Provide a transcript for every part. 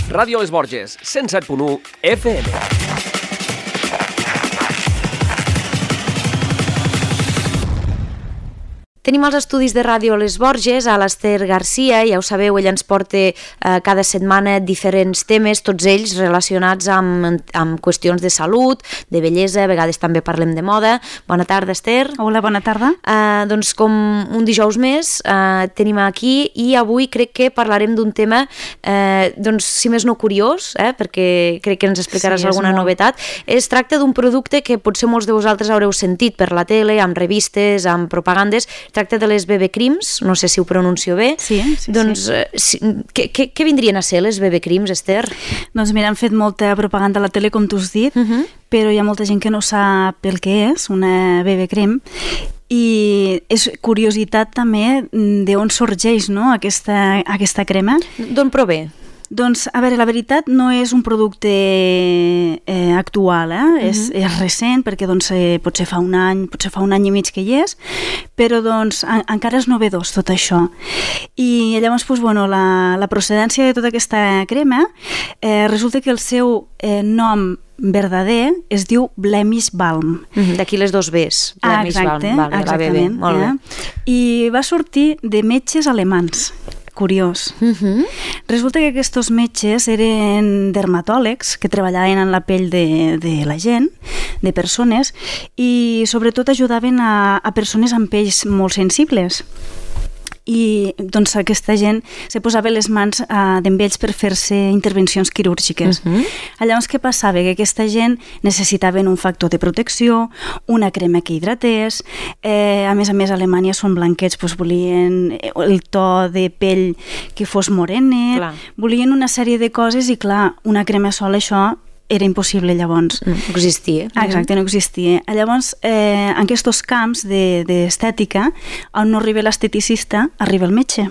Ràdio Les Borges, 107.1 FM. Tenim els estudis de Ràdio Les Borges a l'Ester Garcia, ja ho sabeu, ella ens porta cada setmana diferents temes, tots ells relacionats amb qüestions de salut, de bellesa, a vegades també parlem de moda. Bona tarda, Ester. Hola, bona tarda. Doncs com un dijous més tenim aquí i avui crec que parlarem d'un tema, doncs si més no curiós, perquè crec que ens explicaràs alguna novetat. Es tracta d'un producte que potser molts de vosaltres haureu sentit per la tele, amb revistes, amb propagandes. Tracta de les BB Creams, no sé si ho pronuncio bé. Sí. Doncs, què vindrien a ser les BB Creams, Ester? Doncs mira, han fet molta propaganda a la tele, com tu has dit, però hi ha molta gent que no sap el que és una BB Cream. I és curiositat també d'on sorgeix, no, aquesta crema. D'on prové? Doncs, a veure, la veritat no és un producte actual, és recent, perquè doncs, potser fa un any i mig que hi és, però doncs, encara és novedós tot això. I llavors, doncs, bueno, la procedència de tota aquesta crema resulta que el seu nom verdader es diu Blemish Balm. D'aquí les dos Bs. Blemish Balm, exactament. Molt bé. I va sortir de metges alemans. Curiós. Resulta que aquests metges eren dermatòlegs que treballaven en la pell de la gent, de persones, i sobretot ajudaven a persones amb pells molt sensibles. I doncs aquesta gent se posava les mans amb ells per fer-se intervencions quirúrgiques. Llavors què passava? Que aquesta gent necessitaven un factor de protecció, una crema que hidratés, a més, a Alemanya són blanquets, doncs volien el to de pell que fos morenet, volien una sèrie de coses i clar, una crema sola això era impossible llavors. No existia. Exacte, no existia. Llavors, en aquests camps d'estètica, on no arriba l'esteticista, arriba el metge.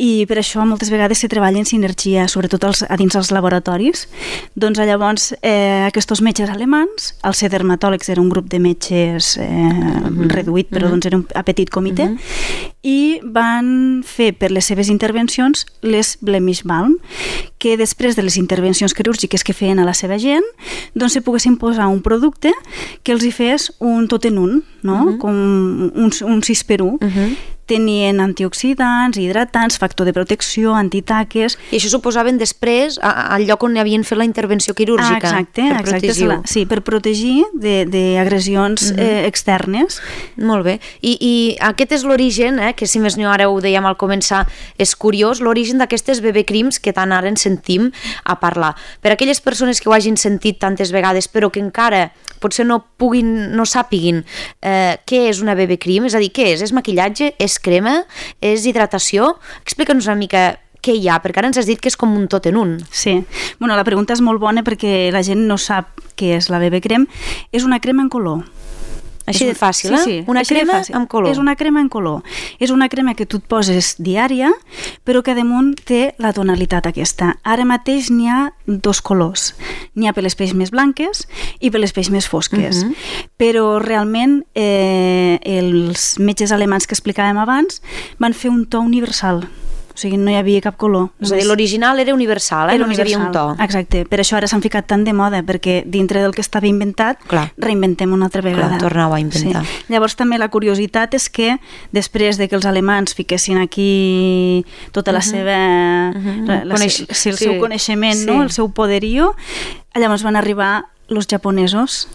I per això moltes vegades se treballa en sinergia, sobretot a dins dels laboratoris. Doncs llavors aquests metges alemans, el ser dermatòlegs era un grup de metges reduït, però doncs era un petit comitè, i van fer per les seves intervencions les Blemish Balm, que després de les intervencions quirúrgiques que feien a la seva gent, doncs se poguessin posar un producte que els hi fes un tot en un, no? Com un 6x1. Tenien antioxidants, hidratants, factor de protecció, antitaques... I això s'ho posaven després al lloc on havien fet la intervenció quirúrgica. Exacte. Sí, per protegir d'agressions externes. Molt bé. I aquest és l'origen, que si més no ara ho dèiem al començar, és curiós, l'origen d'aquestes BB Creams que tant ara en sentim a parlar. Per aquelles persones que ho hagin sentit tantes vegades però que encara potser no sàpiguin què és una BB Cream, és a dir, què és? És maquillatge? És crema? És hidratació? Explica'ns una mica què hi ha, perquè ara ens has dit que és com un tot en un. Sí. Bueno, la pregunta és molt bona perquè la gent no sap què és la BB Cream. És una crema en color. Així de fàcil, sí. Una crema amb color. És una crema en color. És una crema que tu et poses diària, però que damunt té la tonalitat aquesta. Ara mateix n'hi ha dos colors. N'hi ha per les pells més blanques i per les pells més fosques. Però realment els metges alemans que explicàvem abans van fer un to universal. O sigui, no hi havia cap color. És a dir, l'original era universal, només hi havia un to. Exacte, per això ara s'han ficat tant de moda, perquè dintre del que estava inventat, reinventem una altra vegada. Tornau a inventar. Sí. Llavors també la curiositat és que després de que els alemans fiquessin aquí tota la seva... el seu coneixement, no? El seu poderío, llavors van arribar els japonesos.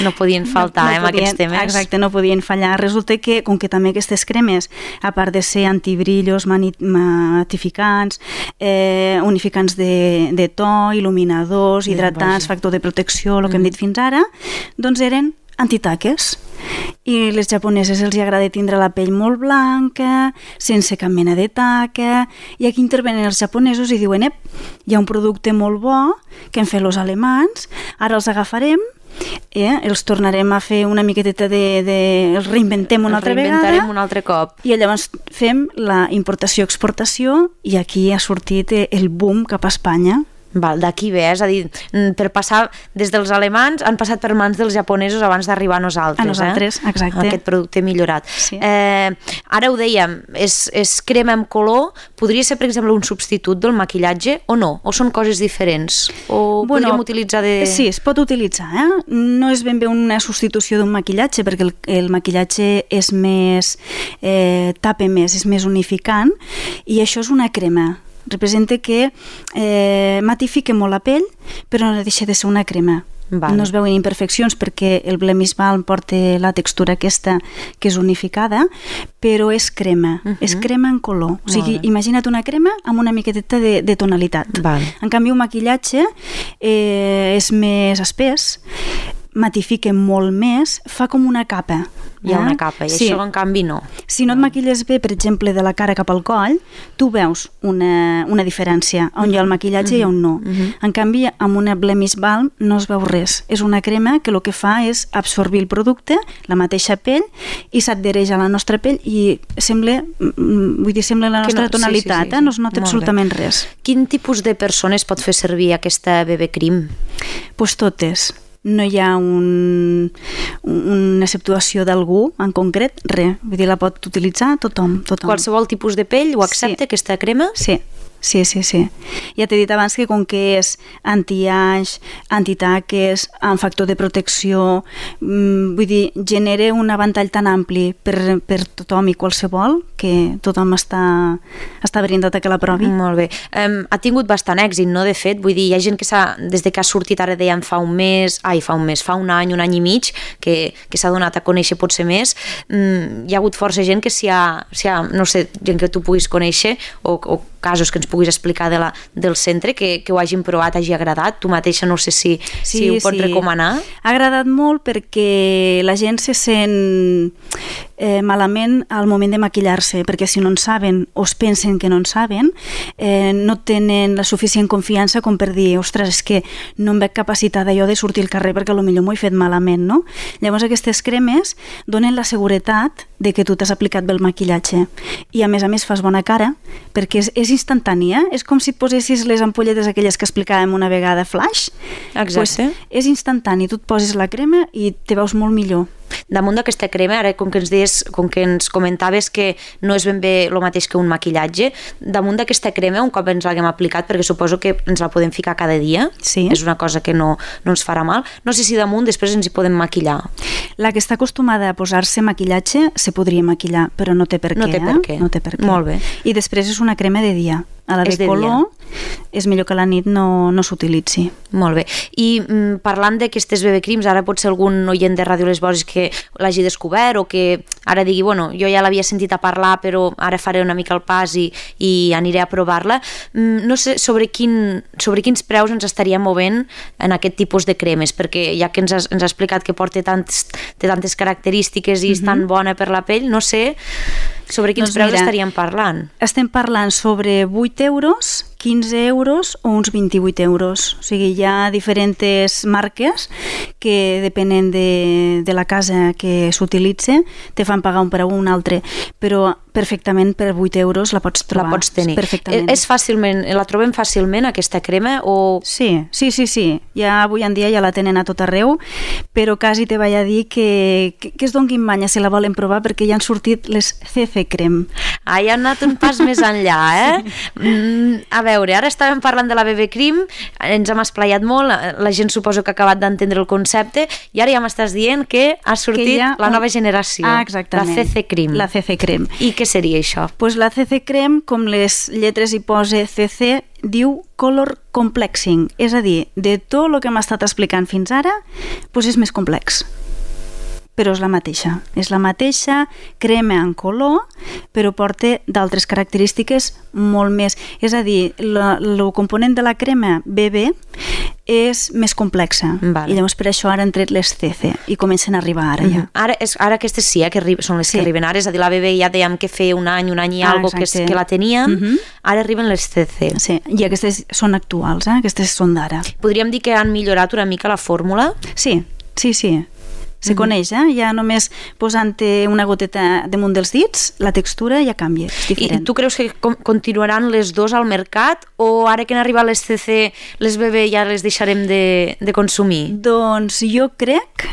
No podien faltar amb aquests temes. Exacte, no podien fallar. Resulta que, com que també aquestes cremes, a part de ser antibrillos, matificants, unificants de to, il·luminadors, hidratants, factor de protecció, el que hem dit fins ara, doncs eren antitaques. I les japoneses els agrada tindre la pell molt blanca, sense cap mena de taca, i aquí intervenen els japonesos i diuen, hi ha un producte molt bo que hem fet els alemans, ara els agafarem, els tornarem a fer una miqueteta els reinventem una altra vegada. Reinventarem un altre cop. I llavors fem la importació-exportació i aquí ha sortit el boom cap a Espanya. D'aquí ve, és a dir, per passar des dels alemans han passat per mans dels japonesos abans d'arribar a nosaltres. A nosaltres, exacte. Aquest producte millorat. Sí. Ara ho dèiem, és crema amb color, podria ser, per exemple, un substitut del maquillatge o no? O són coses diferents? O podríem utilitzar de... Sí, es pot utilitzar, No és ben bé una substitució d'un maquillatge, perquè el maquillatge és més... tapa més, és més unificant, i això és una crema. Representa que matifica molt la pell, però no deixa de ser una crema. No es veuen imperfeccions perquè el Blemish Balm porta la textura aquesta que és unificada, però és crema, és crema en color. O sigui, imagina't una crema amb una miqueteta de tonalitat. En canvi, un maquillatge és més espès, matifica molt més, fa com una capa. Hi ha una capa, i això en canvi no. Si no et maquilles bé, per exemple, de la cara cap al coll, tu veus una diferència, on hi ha el maquillatge i on no. En canvi, amb una Blemish Balm no es veu res. És una crema que el que fa és absorbir el producte, la mateixa pell, i s'adhereix a la nostra pell i sembla la nostra tonalitat, no es nota absolutament res. Quin tipus de persones pot fer servir aquesta BB Cream? Doncs totes. No hi ha una exceptuació d'algú en concret, res. Vull dir, la pot utilitzar tothom. Qualsevol tipus de pell ho accepta, aquesta crema? Sí. Ja t'he dit abans que com que és anti-age, antitaques, amb factor de protecció, vull dir, genera un ventall tan ampli per tothom i qualsevol que tothom està brindat a que la provi. Molt bé. Ha tingut bastant èxit, no? De fet, vull dir, hi ha gent que des de que ha sortit, ara dèiem fa un any i mig, que s'ha donat a conèixer potser més. Hi ha hagut força gent que no sé, gent que tu puguis conèixer o casos que ens puguis explicar del centre, que ho hagin provat, hagi agradat. Tu mateixa no sé si ho pots recomanar. Ha agradat molt perquè la gent se sent malament al moment de maquillar-se, perquè si no en saben o es pensen que no en saben, no tenen la suficient confiança com per dir, ostres, és que no em veig capacitada jo de sortir al carrer perquè potser m'ho he fet malament, no? Llavors aquestes cremes donen la seguretat de que tu t'has aplicat bé el maquillatge i a més fas bona cara perquè és instantània, és com si et posessis les ampolletes aquelles que explicàvem una vegada flash. Exacte. És instantani, tu et poses la crema i te veus molt millor. Damunt d'aquesta crema, ara com que ens comentaves que no és ben bé el mateix que un maquillatge, damunt d'aquesta crema, un cop ens l'haguem aplicat, perquè suposo que ens la podem ficar cada dia, és una cosa que no ens farà mal, no sé si damunt després ens hi podem maquillar. La que està acostumada a posar-se maquillatge se podria maquillar, però no té per què. No té per què. Molt bé. I després és una crema de dia. A la de color és millor que a la nit no s'utilitzi. Molt bé. I parlant d'aquestes BB Creams, ara pot ser algun oient de Ràdio Les Borges que l'hagi descobert o que ara digui, bueno, jo ja l'havia sentit a parlar però ara faré una mica el pas i aniré a provar-la. No sé sobre quins preus ens estaríem movent en aquest tipus de cremes, perquè ja que ens ha explicat que té tantes característiques i és tan bona per la pell, no sé sobre quins preus estaríem parlant. Estem parlant sobre 8 euros, 15 euros o uns 28 euros. O sigui, hi ha diferents marques que depenent de la casa que s'utilitza te fan pagar un preu o un altre, però perfectament per 8 euros la pots trobar. La pots tenir. Perfectament. La trobem fàcilment, aquesta crema? O... Sí. Ja avui en dia ja la tenen a tot arreu, però quasi te vaig a dir que es donguin manya si la volen provar perquè ja han sortit les CC Creme. Ja han anat un pas més enllà, A veure, ara estàvem parlant de la BB Cream, ens hem esplaiat molt, la gent suposo que ha acabat d'entendre el concepte i ara ja m'estàs dient que ha sortit la nova generació. Exactament. La CC Cream. La CC Creme. I què seria això? Pues la CC Creme, com les lletres hi posa CC, diu Color Complexing, és a dir, de tot el que m'ha estat explicant fins ara, pues és més complex. Però és la mateixa crema en color, però porta d'altres característiques molt més. És a dir, el component de la crema BB és més complexa. I llavors per això ara han tret les CC i comencen a arribar ara ja. Ara aquestes sí, que són les que arriben ara, és a dir, la BB ja dèiem que feia un any i algo que la teníem, ara arriben les CC. Sí, i aquestes són actuals, aquestes són d'ara. Podríem dir que han millorat una mica la fórmula? Sí. Se coneix, ja només posant-te una goteta damunt dels dits, la textura ja canvia, és diferent. I tu creus que continuaran les dos al mercat o ara que han arribat les CC, les BB ja les deixarem de consumir? Doncs jo crec,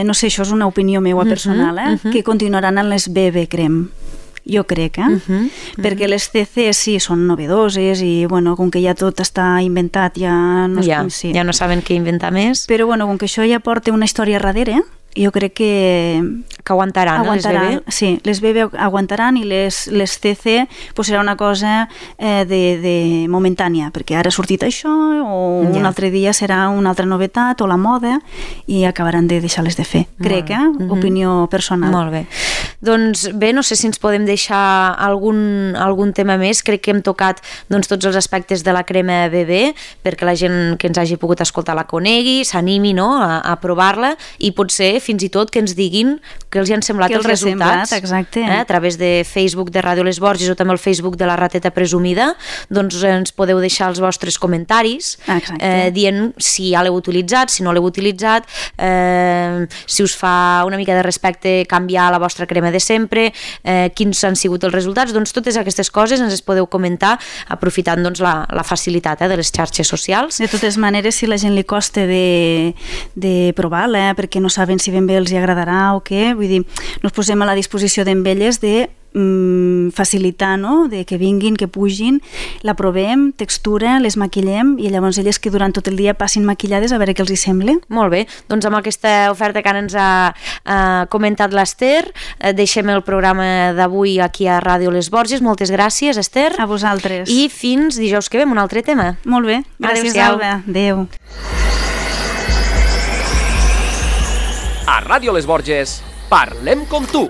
no sé, això és una opinió meva personal, que continuaran en les BB Creme. Jo crec, perquè les CC sí són novedoses i, bueno, com que ja tot està inventat, ja no saben què inventar més. Però, bueno, com que això ja porta una història darrere, jo crec que aguantaran, les BB? Sí, les BB aguantaran i les CC pues serà una cosa de momentània, perquè ara ha sortit això o un altre dia serà una altra novetat o la moda i acabaran de deixar-les de fer. Crec, opinió personal. Molt bé. Doncs bé, no sé si ens podem deixar algun tema més. Crec que hem tocat tots els aspectes de la crema BB perquè la gent que ens hagi pogut escoltar la conegui, s'animi a provar-la i potser fins i tot que ens diguin que els hi han semblat els resultats. Exacte. A través de Facebook de Ràdio Les Borges o també el Facebook de la Rateta Presumida, doncs ens podeu deixar els vostres comentaris dient si ja l'heu utilitzat, si no l'heu utilitzat, si us fa una mica de respecte canviar la vostra crema de sempre, quins han sigut els resultats. Doncs totes aquestes coses ens les podeu comentar aprofitant la facilitat de les xarxes socials. De totes maneres, si la gent li costa de provar-la perquè no saben si ben bé els agradarà o què, vull dir, nos posem a la disposició d'elles de facilitar, de que vinguin, que pugin, la provem, textura, les maquillem i llavors elles que durant tot el dia passin maquillades a veure què els hi sembla. Molt bé, doncs amb aquesta oferta que ara ens ha comentat l'Ester, deixem el programa d'avui aquí a Ràdio Les Borges. Moltes gràcies, Ester. A vosaltres. I fins dijous que ve amb un altre tema. Molt bé, gràcies, Alba. Adéu. A Ràdio Les Borges, parlem com tu.